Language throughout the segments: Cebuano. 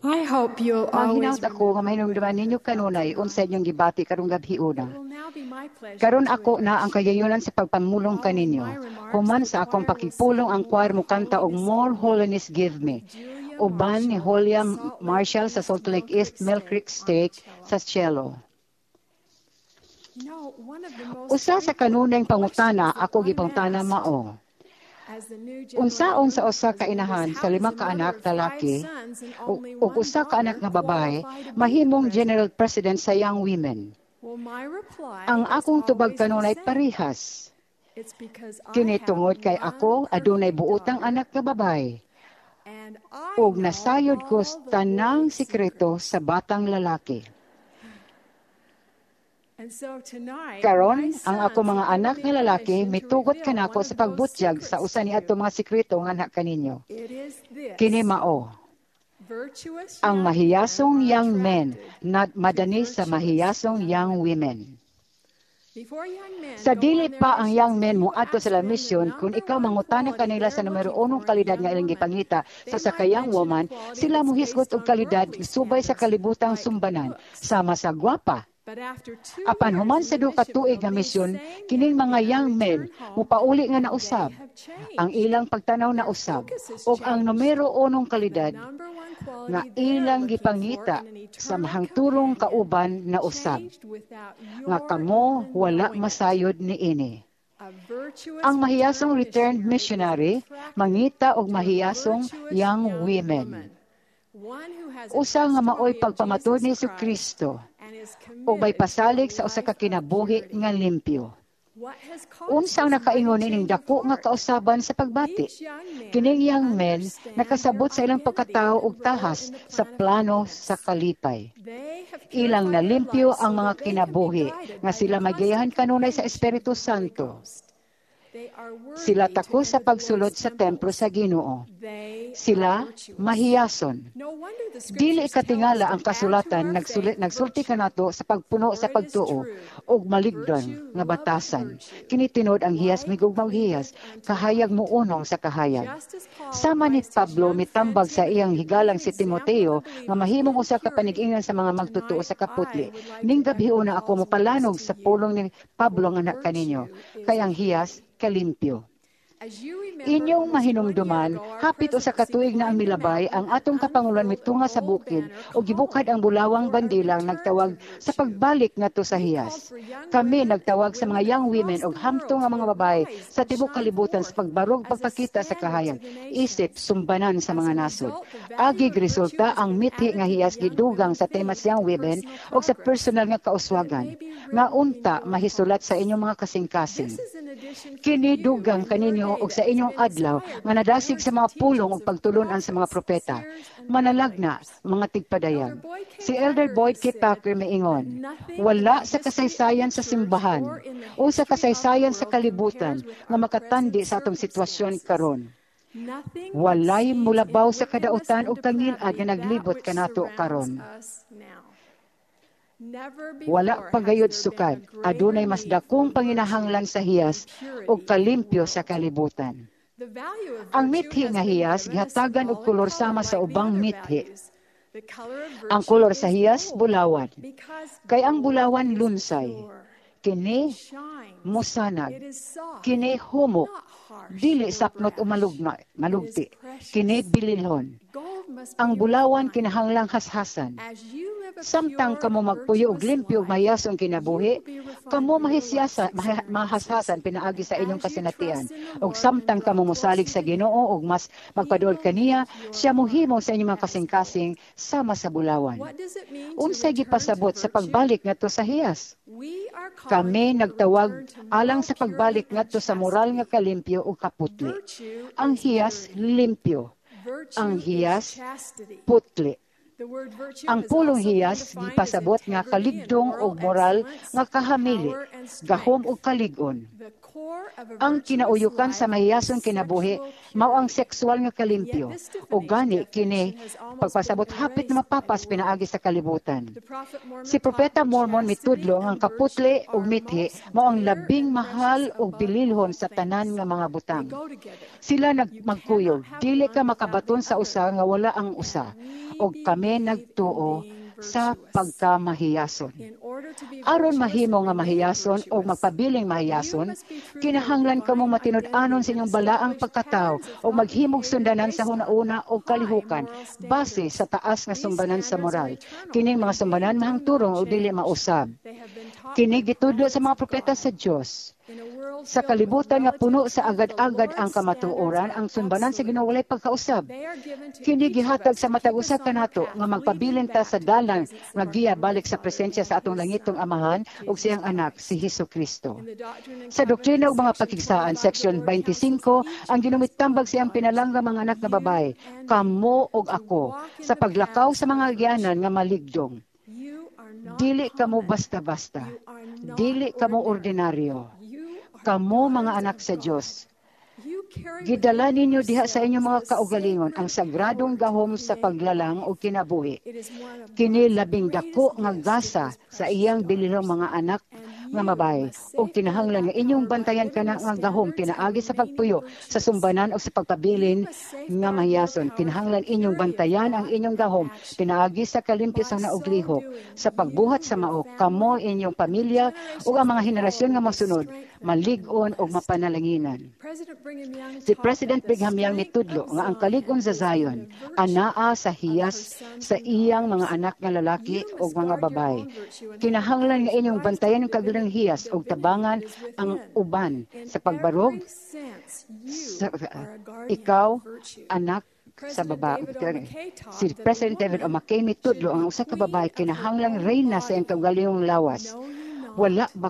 I hope you'll always Manghinaot ako nga mahinumduman ninyo kanunay unsa inyong gibati karong gabhiona. It will now be my pleasure Karon to ako na ang kagayunan sa pagpamulong kaninyo. Human sa akong pakigpulong, ang choir mokanta og "More Holiness Give Me" Julia uban ni Marshall, Julia Salt Lake Marshall sa East Salt Lake Mill East Creek Mill Stake Creek on Stake cello. Sa cello. One of the most Usa sa frequent kanunayng pangutana questions that ako I'm gipangutana asked mao: as the new general Unsaon sa usa ka president is, inahan how sa does lima a ka mother anak of five lalaki sons and only ug one usa ka anak daughter nga babae qualify to be the mahimong president? General President sa Young Women? Well, my reply Ang is akong tubag always the kanunay same. Parihas. It's because I Kini have tungod kay one ako adunay perfect buotang daughter anak nga babae and I ug know nasayod ko all the tanang Lord's sikreto secrets. Sa batang lalaki. And so tonight, my Karon, ang ako sons mga have given anak me nga lalaki permission to mitugot reveal kanako one sa of those pagbutyag sa secrets usa to ni ato you. Mga sikreto nganha kaninyo. It is Kini this: mao: virtuous ang young men mahiyasong are young men attracted na to madani sa virtuous mahiyasong young young women. women. Before young men Sa go dili on their pa ang missions, young if men you moadto ask sa them the mission, kung number ikaw one mangutana quality kanila sa they're numero looking unong for in a kalidad young nga ilang woman, gipangita sa they usa might ka young mention a woman, quality sila that's mohisgot based og on kalidad worldly subay sa standards, kalibutang like sumbanan, looks. Sama sa gwapa. But after 2 Apan years human in sa the duha ka mission tuig field, nga these misyon, same kining young mga men young men return home mopauli nga and they nausab. have Ang changed. ilang pagtanaw Their nausab focus has ug ang changed. numero unong The kalidad number one nga quality they're ilang looking for gipangita in an sa eternal mahangturong companion kauban nausab changed without nga your kamo even wala knowing it. Masayod niini. A virtuous Ang mahiyasong returned returned missionary is missionary attracted mangita og to a mahiyasong virtuous young young women. woman, one who has a Usa nga maoy testimony of pagpamatud ni Jesus Christ Kristo and is ug may committed to a pasalig sa usa life ka of kinabuhi purity. Nga limpyo. What has caused Unsa ang this mighty nakaingon nining change of dako nga heart? kausaban sa pagbati? Each young man Kining young men understand their nakasabot sa ilang identity pagkatao and ug role tahas in the sa plan of plano sa holiness. Kalipay. They have Ilang purified their nalimpyo lives ang so mga that they can be kinabuhi guided nga by sila the magiyahan constant kanunay sa companionship Espiritu of the Holy Santo. Ghost. They are Sila worthy to tako sa enter the pagsulod Lord's sa templo temples. sa Ginoo. They are Sila virtuous. Mahiyason. No wonder the Dili scriptures tell us katingala to ang add to kasulatan our faith nagsulti virtue. Kanato sa pagpuno For sa it is pagtuo true, ug maligdan virtue nga loveth batasan. virtue, Kini tinuod, ang hiyas light migugma og hiyas, cleaveth unto kahayag light. Mounong sa kahayag. Just as Paul Sama ni advised his Pablo young friend mitambag sa Timothy iyang to be higalang an si example of Timoteo the nga believers mahimong in usa ka purity, panig-ingan sa mga magtotoo tonight sa kaputli. I would like Ning to echo gabhiona ako Paul's words mopalanog to sa you. pulong ni Pablo For nga anak kaninyo, virtue is kay ang hiyas purity. Kalimpyo. As you remember, Inyong almost one year mahinumduman, ago, our hapit usa ka presidency tuig na ang climbed the milabay, mountain ang and atong kapanguloan unfurled a mitunga sa gold bukid banner ug gibukad calling ang bulawang for a bandilang return to nagtawag sa virtue. Pagbalik ngadto sa We called hiyas. for young Kami women and nagtawag sa mga women young women across ug the hamtong world nga to mga babae arise sa and tibuok shine kalibutan sa forth pagbarog as a pagpakita sa standard to kahayag, the isip nations. sumbanan sa As mga a nasod. result, the value Agig of virtue resulta has ang been mithi added nga to the hiyas young gidugang women sa temas theme young and women personal ug sa progress, personal nga that it kauswagan may be nga written in unta your mahisulat sa hearts. Inyong mga kasing-kasing. This is an addition for Kini you dugang and your kaninyo day ug sa that has inyong been adlaw inspired nga by the nadasig words sa and mga pulong teachings ug of pagtulun-an sa mga prophets, propeta. seers, and Manalagna, revelators. Mga tigpadayag. Elder Boyd K. Si Elder Packer Boyd has K. said Packer that miingon, nothing in "Wala the sa history of the kasaysayan sa church simbahan or in the o sa history of the kasaysayan sa world kalibutan compares with nga our makatandi present sa atong sitwasyon circumstances. Karon." Nothing Walay exceeds in mulabaw sa wickedness kadautan and ug kangilad depravity nga that naglibot which kanato surrounds karon. Us now. Never Wala before pa has gayud there been a sukad greater adunay mas need for dakong virtue panginahanglan sa and hiyas ug purity in the kalimpyo sa world. Kalibutan. The value of Ang virtue mithi has nga been hiyas given a gihatagan og symbolic kolor color sama sa like the ubang other mithi. values. The color of Ang virtue kolor sa is hiyas gold bulawan. because Kay ang gold bulawan is lunsay. pure. Kini It shines. Mosanag. It is soft, Kini humok. not harsh Dili or sapnot o brash. malugna, It is malugti. Kini precious. Bililhon. Gold must Ang be bulawan refined. Kinahanglang hashasan. As you live a Samtang pure kamo and magpuyo og virtuous limpyo ug life, mahiyasong you kinabuhi, will be refined kamo by your life's mahisyasa, experiences. Mahashasan pinaagi And sa inyong as you kasinatian. trust in the Ug Lord and samtang draw kamo mosalig closer sa to Him, Ginoo ug mas He magpaduol will kaniya, make your siya mohimo heart sa inyong mga as gold. kasing-kasing sama sa bulawan. What does it mean to Unsay return to gipasabot sa virtue? Pagbalik ngadto sa hiyas? We are calling Kami for a nagtawag return to alang moral sa purity pagbalik and ngadto sa moral nga chastity. kalimpyo ug kaputli. Virtue Ang is hiyas purity. Limpyo. Ang Virtue is hiyas chastity. putli. The word virtue Ang has pulong also been hiyas defined as gipasabot nga integrity and kaligdong moral ug moral excellence, nga kahamili, power and gahom strength. ug kalig-on. The Ang kinauyukan sa mahiyason kinabuhi mao ang sexual nga kalimpyo. O gani kini pagpasabot hapit na mapapas pinaagi sa kalibutan. Si Propeta Mormon mitudlo nga ang kaputli ug mithi mao ang labing mahal ug bililhon sa tanan nga mga butang. Sila nagmagkuyog, dili ka makabaton sa usa nga wala ang usa. Og kami nagtuo sa pagkamahiyason. Aron mahimo nga mahiyason o magpabiling mahiyason, kinahanglan kamo matinud-anon sa inyong balaang pagkatao o maghimog sundanan sa hunauna o kalihukan base sa taas nga sumbanan sa moral. Kining mga sumbanan mahangturong o dili mausab. Kini gitudlo sa mga propeta sa Dios. Sa kalibutan nga puno sa agad-agad ang kamatuoran, ang sumbanan sa Ginoo walay pagkausab. Kini gihatag sa matag usa kanato nga magpabilin ta sa dalan nga giya balik sa presensya sa atong langitong Amahan ug siyang anak si Hesus Kristo. Sa Doktrina ug mga Pakigsaan, section 25, ang Ginoo mitambag siyang pinalangga mga anak nga babae, kamo ug ako, sa paglakaw sa mga agianan nga maligdong. Dili kamo basta-basta. Dili kamo ordinaryo. Kamo mga anak sa Dios. Gidala ninyo diha sa inyong mga kaugalingon ang sagradong gahom sa paglalang o kinabuhi. Kini labing dako nga gasa sa iyang bililong mga anak nga babae ug kinahanglan nga inyong bantayan kana nga gahom pinaagi sa pagpuyo sa sumbanan o sa pagpabilin nga mahiyason. Kinahanglan inyong bantayan ang inyong gahom pinaagi sa kalimpyo sa nauglihok sa pagbuhat sa mao kamo, inyong pamilya ug ang mga henerasyon nga mosunod malig-on ug mapanalanginan. Si President Brigham Young nitudlo nga ang kalig-on sa Zion anaa sa hiyas sa iyang mga anak nga lalaki ug mga babae. Kinahanglan nga inyong bantayan ang kagaling hiyas ug tabangan ang uban sa pagbarog sa, ikaw anak sa baba. Si President David O. McKay mitudlo ang usa ka babae kinahanglang reyna sa iyang kaugalingong lawas. Wala ba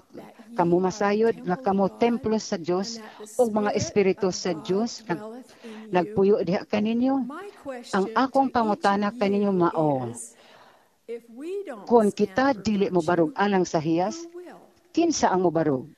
kamo masayod nga kamo templo sa Dios ug mga espiritu sa Dios nagpuyo diha kaninyo? Ang akong pangutana kaninyo mao, kung kita dili mo barog alang sa hiyas, kinsa ang mobarog?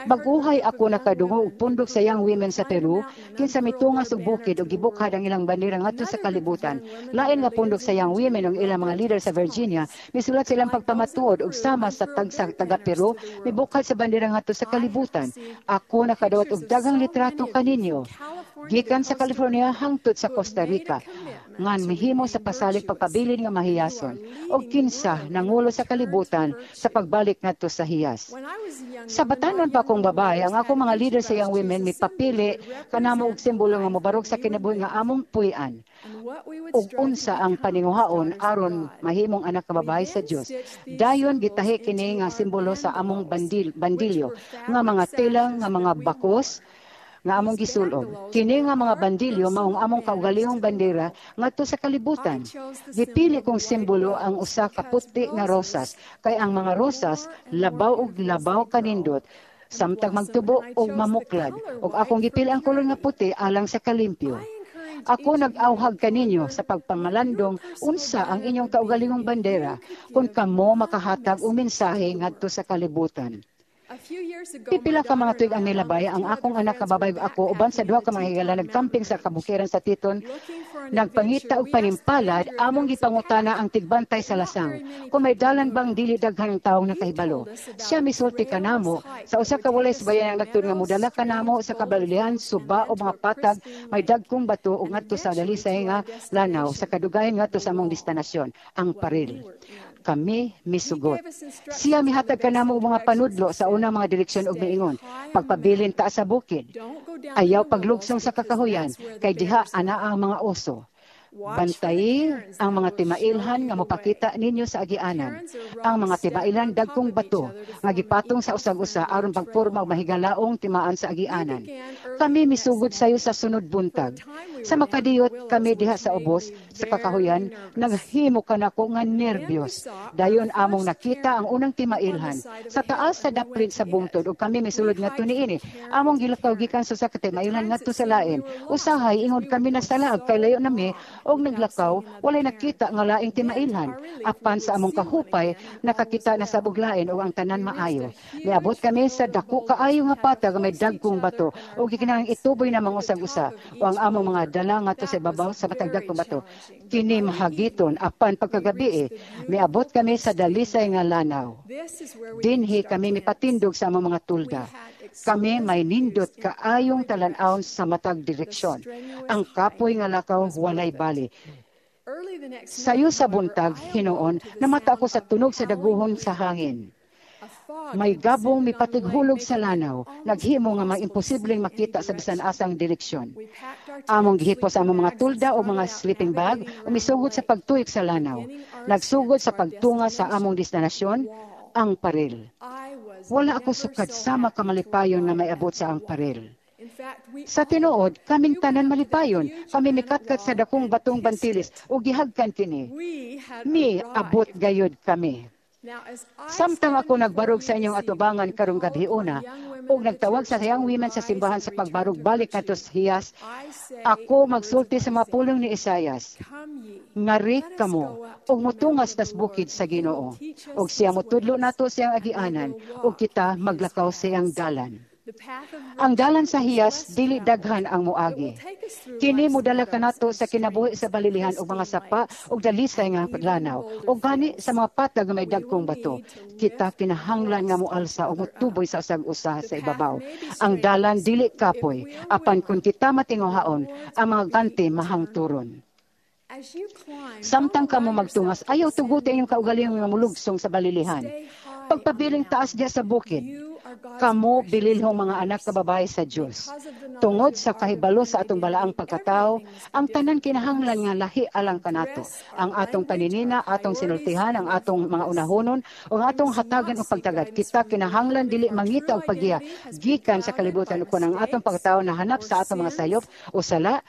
Baguhay ako nakadungog og pundok sa Young Women sa Peru, kinsa mitungas og bukid ug gibukhad ang ilang bandera ngadto sa kalibutan. Lain nga pundok sa Young Women ug ilang mga leader sa Virginia, misulat sa ilang pagpamatuod ug sama sa tagsa taga Peru, mibukhad sa bandera ngadto sa kalibutan. Ako nakadawat og daghang litrato kaninyo gikan sa California hangtod sa Costa Rica nga mihimo sa pasalig pagpabilin nga mahiyason ug kinsa nangulo sa kalibutan sa pagbalik ngadto sa hiyas. Sa batanon pa akong babae, ang akong mga leader sa Young Women mipapili kanamo og simbolo nga mobarog sa kinabuhi nga among puy-an ug unsa ang paninguhaon aron mahimong anak nga babae sa Dios. Dayon gitahi kini nga simbolo sa among bandilyo nga mga tela nga mga bakos nga among gisulob. Kini nga mga bandilyo maong among kaugalingong bandera ngadto sa kalibutan. Gipili kong simbolo ang usa ka puti nga rosas kay ang mga rosas labaw og labaw kanindot samtang magtubo og mamuklad, ug akong gipili ang kolor nga puti alang sa kalimpyo. Ako nag-awhag kaninyo sa pagpamalandong unsa ang inyong kaugalingong bandera kung kamo makahatag og mensahe ngadto sa kalibutan. Pipila ka mga tuig ang nilabay, ang akong anak nga babae ug ako uban sa duha ka mga higala nagcamping sa kabukiran sa Teton. Nagpangita og panimpalad, among gipangutana ang tigbantay sa lasang kung may dalan bang dili daghan ang taong nakahibalo. Siya misulti kanamo sa usa ka walay subayan ang nagtuon nga modala kanamo sa kabalilihan, suba o mga patag may dagkong bato ug ngadto sa dalisay nga lanaw sa kadugayan ngadto sa among destinasyon, ang Paril. Kami misugot. Siya mihatag kanamo og mga panudlo sa unang mga direksyon ug miingon, pagpabilin ta sa bukid. Ayaw paglugsong sa kakahuyan kay diha anaa ang mga oso. Bantayi ang mga timailhan nga mopakita ninyo sa agianan. Ang mga timailan dagkong bato nga gipatong sa usag-usa aron pagporma og mahigalaong timaan sa agianan. Kami misugod sayo sa sunod buntag. Sa makadiyot kami diha sa ubos sa kakahuyan, naghimo kanako nga nerbyos. Dayon among nakita ang unang timailhan sa taas sa daplin sa bungtod ug kami misulod ngadto niini. Among gilakaw gikan sa usa ka timailhan ngadto sa lain. Usahay ingod kami nasalaag kay layo nami Og naglakaw, walay nakita nga laing timailhan. Apan sa among kahupay, nakakita na sa buglain og ang tanan maayo. Miabot kami sa dako kaayo nga patag nga may dagkong bato ug gikinahanglan ituboy namong usag usa o ang among mga dala ngadto sa ibabaw sa matag dagkong bato. Kini mahagiton, apan pagkagabi, miabot kami sa dalisay nga lanaw. Dinhi kami mipatindog sa among mga tulda. Kami may nindot kaayong talan-awon sa matag direksyon. Ang kapoy nga lakaw walay bali. Sayo sa buntag, hinuon, namata ako sa tunog sa daguhon sa hangin. May gabong mipatighulog sa lanaw, naghimo nga maimposibleng makita sa bisan asang direksyon. Among gihipos among mga tulda o mga sleeping bag, ug misugod sa pagtuyok sa lanaw. Nagsugod sa pagtunga sa among destinasyon, ang paril. Wala ako sukad sama kamalipayon nga maiabot sa ang paril. Sa tinuod, kaming tanan malipayon. Kami mikatkat sa dakong batong bantilis ug gihagkan kini. Mi abot gayud kami. Samtang ako nagbarog sa inyong atubangan karong gabhiona ug nagtawag sa Young Women sa simbahan sa pagbarog balik ngadto sa hiyas, ako magsulti sa mga pulong ni Isayas. "Ngari kamo ug mutungas tas bukid sa Ginoo. Ug siya motudlo nato siyang agianan ug kita maglakaw sa iyang dalan." Ang dalan sa hiyas, dili daghan ang moagi. Kini modala kanato sa kinabuhi sa balilihan og mga sapa ug dalisay nga lanaw. Ug gani sa mga patag nga may dagkong bato. Kita kinahanglan nga moalsa ug motuboy sa usag usa sa ibabaw. Ang dalan dili kapoy, apan kung kita matinguhaon, ang mga ganti mahangturon. Samtang kamo magtungas, ayaw tuguti ang inyong kaugalingon nga molugsong sa balilihan. Pagpabiling taas diya sa bukid. Kamo bililhong mga anak nga babae sa Dios. Tungod sa kahibalo sa atong balaang pagkatao, ang tanan kinahanglan nga lahi alang kanato. Ang atong paninina, atong sinultihan, ang atong mga unahunon, o ang atong hatagan og pagtagad. Kita kinahanglan dili mangita og paggiya gikan sa kalibutan ug kon ang atong pagkatao nahanap sa atong mga sayop o sala,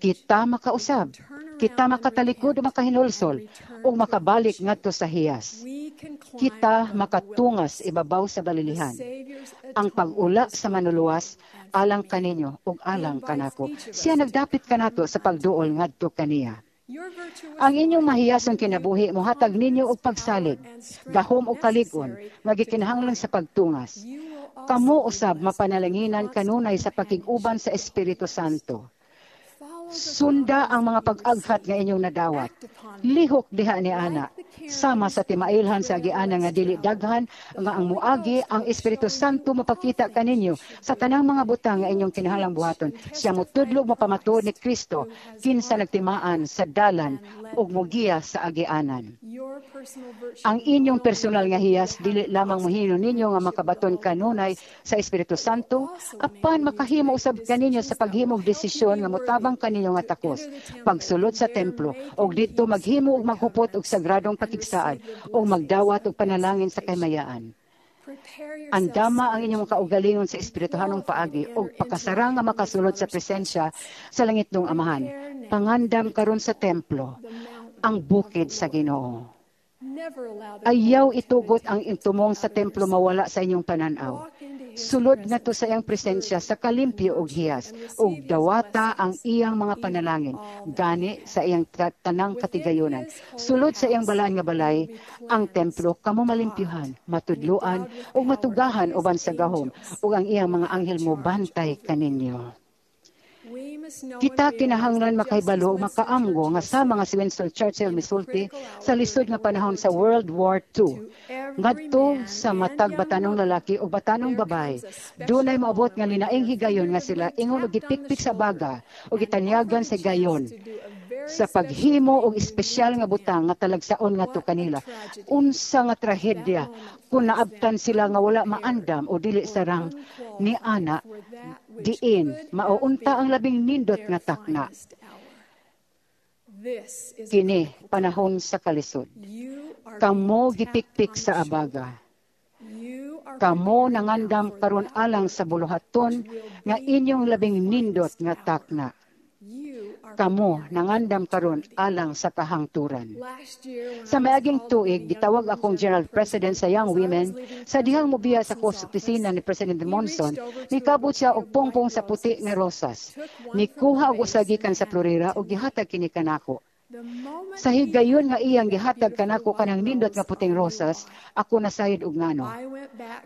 kita makausab. Kita makatalikod o makahinulsol o makabalik ngadto sa hiyas. Kita makatungas ibabaw sa balilihan. Ang pag-ula sa Manluluwas alang kaninyo ug alang kanako. Siya nagdapit kanato sa pagduol ngadto kaniya. Ang inyong mahiyasong kinabuhi mohatag ninyo og pagsalig, gahom ug kalig-on nga gikinahanglan sa pagtungas. Kamo usab mapanalanginan kanunay sa pakig-uban sa Espiritu Santo. Sunda ang mga pag-aghat nga inyong nadawat. Lihok diha ni ana. Sama sa timailhan sa agianan nga dili daghan nga ang muagi, ang Espiritu Santo mapakita kaninyo sa tanang mga butang nga inyong kinahanglang buhaton. Siya motudlo, mapamatuod ni Kristo, kinsa nagtimaan sa dalan ug mogiya sa agianan. Ang inyong personal nga hiyas dili lamang mohimo ninyo nga makabaton kanunay sa Espiritu Santo, apan makahimo usab kaninyo sa paghimog desisyon nga motabang kaninyo nga takos. Pagsulod sa templo og didto maghimo og maghupot og sagradong pakigsaad og magdawat og panalangin sa kahimayaan. Andama ang inyong kaugalingon sa espirituhanong paagi og pakasara nga makasulod sa presensya sa langitnong Amahan. Pangandam karon sa templo, ang bukid sa Ginoo. Ayaw itugot ang tumong sa templo mawala sa inyong pananaw. Sulod ngadto sa iyang presensya sa kalimpyo og hiyas ug dawata ang iyang mga panalangin gani sa iyang tanang katigayonan. Sulod sa iyang balaan nga balay, ang templo, kamo malimpyuhan, matudloan ug matugahan uban sa gahom ug ang iyang mga anghel mo bantay kaninyo. Kita kinahanglan makahibalo ug makaamgo nga sa mga si Winston Churchill misulti sa lisod nga panahon sa World War II. Ngadto sa matag batanong lalaki o batanong babae, dunay moabot nga linaing higayon nga sila ingon og gipikpik sa baga o gitanyagan sa gayon sa paghimo og espesyal nga butang nga talagsaon ngadto kanila. Unsa nga trahedya kung naabtan sila nga wala maandam o dili sarang ni ana diin mauunta ang labing nindot nga takna. Kini panahon sa kalisod. Kamo gipikpik sa abaga. Kamo nangandam karon alang sa buluhaton nga inyong labing nindot nga takna. Kamo nangandam karon alang sa kahangturan. Sa miaging tuig, gitawag akong General President sa Young Women. Sa dihang mobiya sa ko sa opisina ni President Monson, nikabot siya og pungpong sa puti nga rosas. Nikuha og usa gikan sa florera ug gihatag kini kanako. Sa higayon nga iyang gihatag kanako kanang nindot nga puting rosas, ako nasayod og ngano.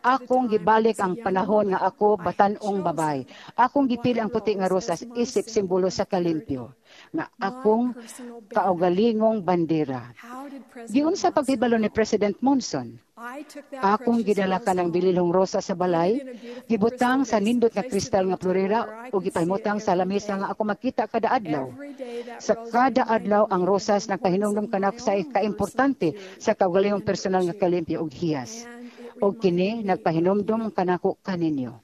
Akong gibalik ang panahon nga ako batan-ong babay. Akong gipili ang puti nga rosas isip simbolo sa kalimpyo nga akong kaugalingong bandera. Giunsa paghibalo ni President Monson? Akong gidala kanang bililhong rosa sa balay, gibutang sa nindot nga kristal nga florera ug gipahimutang sa lamesa nga ako makita kada adlaw. Sa kada adlaw, ang rosas nagpahinumdum kanako sa kaimportante sa kaugalingong personal nga kalimpyo ug hiyas. Ug kini nagpahinumdum kanako kaninyo.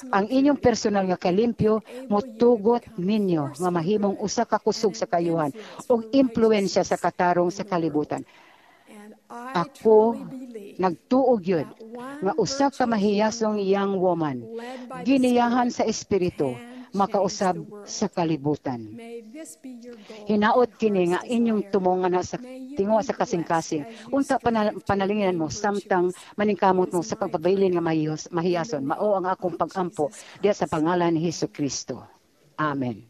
Ang inyong personal nga kalimpyo motugot ninyo nga mahimong usa ka kusog sa kayuhan ug impluwensya sa katarong sa kalibutan. Ako nagtuo gyud nga usa ka mahiyasong young woman giniyahan sa Espiritu makausab sa kalibutan. Hinaot kini nga inyong tumongan sa tinguha sa kasing-kasing. Unta panalinginan mo samtang maningkamot mo sa pagpabilin nga mahiyason. Mao ang akong pag-ampo diya sa pangalan ni Hesus Kristo. Amen.